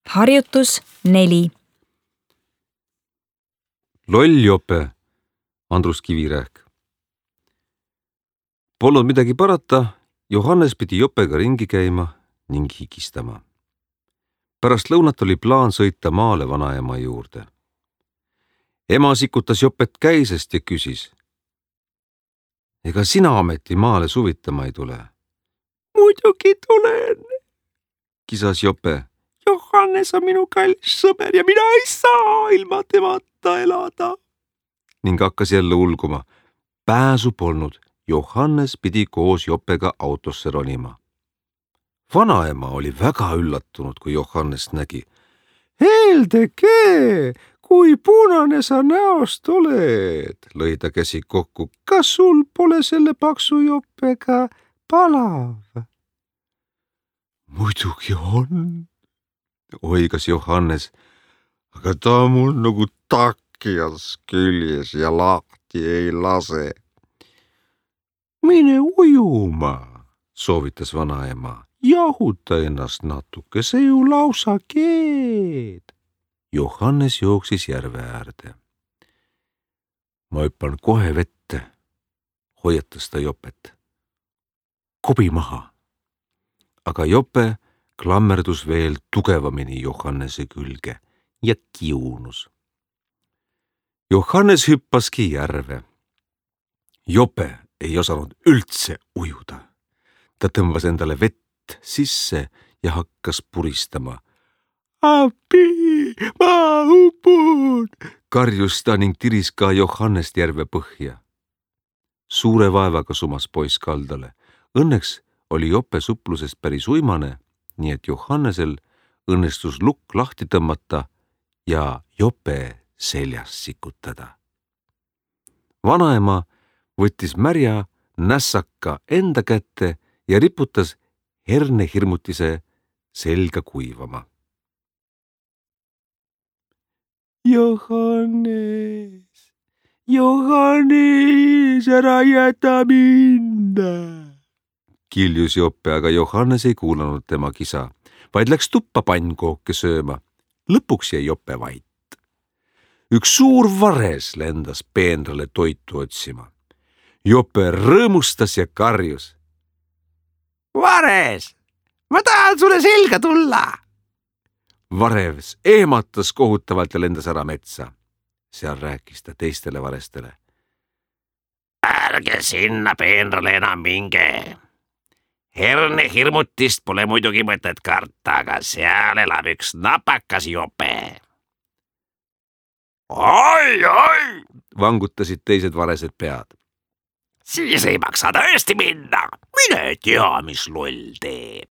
Harjutus 4. Loll jope, Andrus Kivirähk. Polnud midagi parata, Johannes pidi jopega ringi käima ning higistama. Pärast lõunat oli plaan sõita maale vanaema juurde. Ema sikutas jopet käisest ja küsis. Ega sina ometi maale suvitama ei tule? Muidugi tulen, Kisas jope. Johannes on minu kallis sõber ja mina ei saa ilma temata elada. Ning hakkas jälle ulguma. Pääsu polnud. Johannes pidi koos jopega autosse ronima. Vanaema oli väga üllatunud, kui Johannes nägi. Heldeke, kui punane sa näost oled, lõi ta käsi kokku. Kas sul pole selle paksu jopega palav? Muidugi on, oigas Johannes, aga ta on mul nagu takjas küljes ja lahti ei lase. Mine ujuma, soovitas vanaema. Jahuta ennast natuke, see ju lausa keed. Johannes jooksis järve äärde. Ma hüppan kohe vette, hoiatas ta jopet. Kobi maha. Aga jope klammerdus veel tugevamini Johannese külge ja kiunus. Johannes hüppaski järve. Jope ei osanud üldse ujuda. Ta tõmbas endale vett sisse ja hakkas puristama. Appi, ma upun, karjus ta ning tiris ka Johannest järve põhja. Suure vaevaga sumas poiss kaldale. Õnneks oli jope suplusest päris uimane, nii et Johannesel õnnestus lukk lahti tõmmata ja jope seljas sikutada. Vanaema võttis märja nässaka enda kätte ja riputas hernehirmutise selga kuivama. Johannes, ära jäta minna, kiljus jope, aga Johannes ei kuulanud tema kisa, vaid läks tuppa pannkooke sööma. Lõpuks jäi jope vait. Üks suur vares lendas peenrale toitu otsima. Jope rõõmustas ja karjus. Vares, ma tahan sulle selga tulla. Vares ehmatas kohutavalt ja lendas ära metsa. Seal rääkis ta teistele varestele. Ärge sinna peenrale enam minge. Hernehirmutist pole muidugi mõtet karta, aga seal elab üks napakas jope. Oi, vangutasid teised varesed pead. Siis ei maksa tõesti minna. Mine tea, mis loll teeb.